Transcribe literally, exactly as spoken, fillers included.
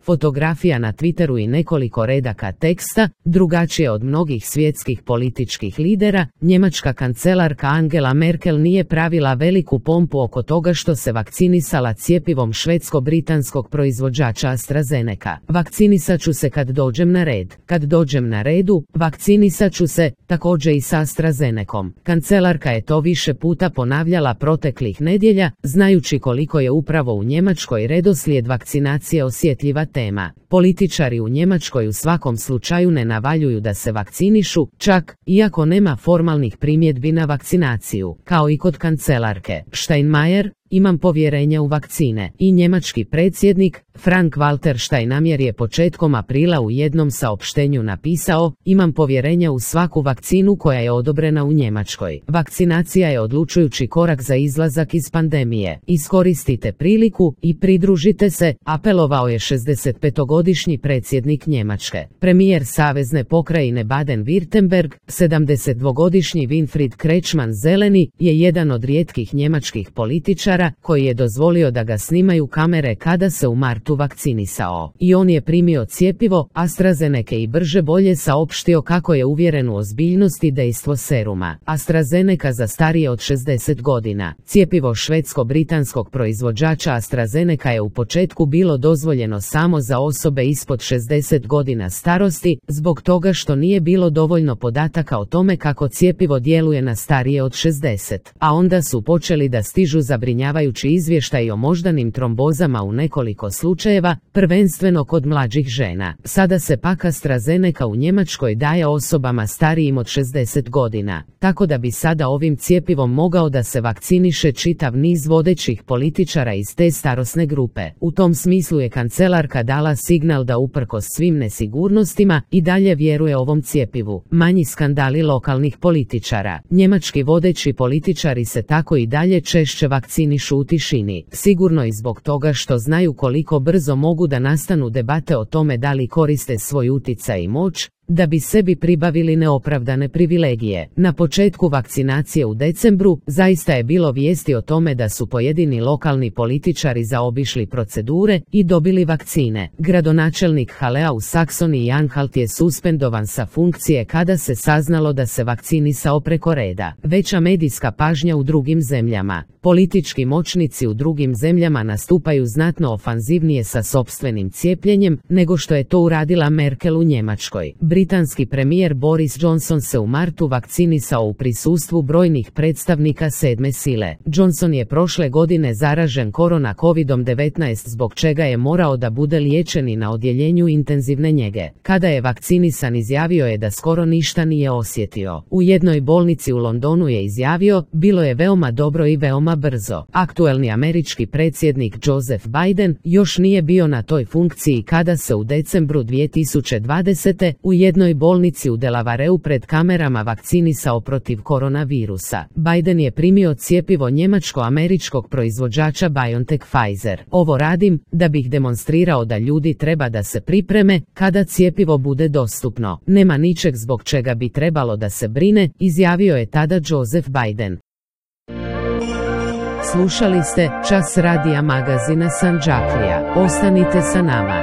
fotografija na Twitteru i nekoliko redaka teksta, drugačije od mnogih svjetskih političkih lidera, njemačka kancelarka Angela Merkel nije pravila veliku pompu oko toga što se vakcinisala cjepivom švedsko-britanskog proizvođača AstraZeneca. Vakcinisat ću se kad dođem na red. Kad dođem na redu, vakcinisat ću se, također i sa AstraZenecom. Kancelarka je to više puta ponavljala proteklih nedjelja, znajući koliko je upravo u Njemačkoj redoslijed vakcinacije osjetljiva tema. Političari u Njemačkoj u svakom slučaju ne navaljuju da se vakcinišu, čak iako nema formalnih primjedbi na vakcinaciju, kao i kod kancelarke. Steinmeier, imam povjerenja u vakcine. I njemački predsjednik, Frank-Walter Steinmeier je početkom aprila u jednom saopštenju napisao, imam povjerenja u svaku vakcinu koja je odobrena u Njemačkoj. Vakcinacija je odlučujući korak za izlazak iz pandemije. Iskoristite priliku i pridružite se, apelovao je šezdesetpetogodišnji predsjednik Njemačke. Premijer savezne pokrajine Baden-Württemberg, sedamdesetdvogodišnji Winfried Kretschmann zeleni, je jedan od rijetkih njemačkih političara koji je dozvolio da ga snimaju kamere kada se u martu vakcinisao. I on je primio cjepivo AstraZeneca i brže bolje saopštio kako je uvjeren u ozbiljnost i dejstvo seruma. AstraZeneca za starije od šezdeset godina. Cjepivo švedsko-britanskog proizvođača AstraZeneca je u početku bilo dozvoljeno samo za osobe ispod šezdeset godina starosti, zbog toga što nije bilo dovoljno podataka o tome kako cjepivo djeluje na starije od šezdeset. A onda su počeli da stižu zabrinjavajući izvještaj o moždanim trombozama u nekoliko slučajeva, prvenstveno kod mlađih žena. Sada se pak AstraZeneca u Njemačkoj daje osobama starijim od šezdeset godina, tako da bi sada ovim cjepivom mogao da se vakciniše čitav niz vodećih političara iz te starosne grupe. U tom smislu je kancelarka dala signal da uprkos svim nesigurnostima i dalje vjeruje ovom cjepivu. Manji skandali lokalnih političara. Njemački vodeći političari se tako i dalje češće vakcinišu u tišini, sigurno i zbog toga što znaju koliko brzo mogu da nastanu debate o tome da li koriste svoj utjecaj i moć, da bi sebi pribavili neopravdane privilegije. Na početku vakcinacije u decembru zaista je bilo vijesti o tome da su pojedini lokalni političari zaobišli procedure i dobili vakcine. Gradonačelnik Halea u Saksoniji Anhalt je suspendovan sa funkcije kada se saznalo da se vakcinisao preko reda. Veća medijska pažnja u drugim zemljama. Politički moćnici u drugim zemljama nastupaju znatno ofanzivnije sa sopstvenim cijepljenjem nego što je to uradila Merkel u Njemačkoj. Britanski premijer Boris Johnson se u martu vakcinisao u prisustvu brojnih predstavnika sedme sile. Johnson je prošle godine zaražen korona kovidom devetnaest zbog čega je morao da bude liječen i na odjeljenju intenzivne njege. Kada je vakcinisan izjavio je da skoro ništa nije osjetio. U jednoj bolnici u Londonu je izjavio, bilo je veoma dobro i veoma brzo. Aktuelni američki predsjednik Joseph Biden još nije bio na toj funkciji kada se u decembru dvije tisuće dvadesete u jednoj bolnici u Delavareu pred kamerama vakcinisao protiv koronavirusa. Biden je primio cjepivo njemačko-američkog proizvođača BioNTech Pfizer. Ovo radim da bih demonstrirao da ljudi treba da se pripreme kada cjepivo bude dostupno. Nema ničeg zbog čega bi trebalo da se brine, izjavio je tada Joseph Biden. Slušali ste Čas radija magazina Sandžaklija. Ostanite sa nama.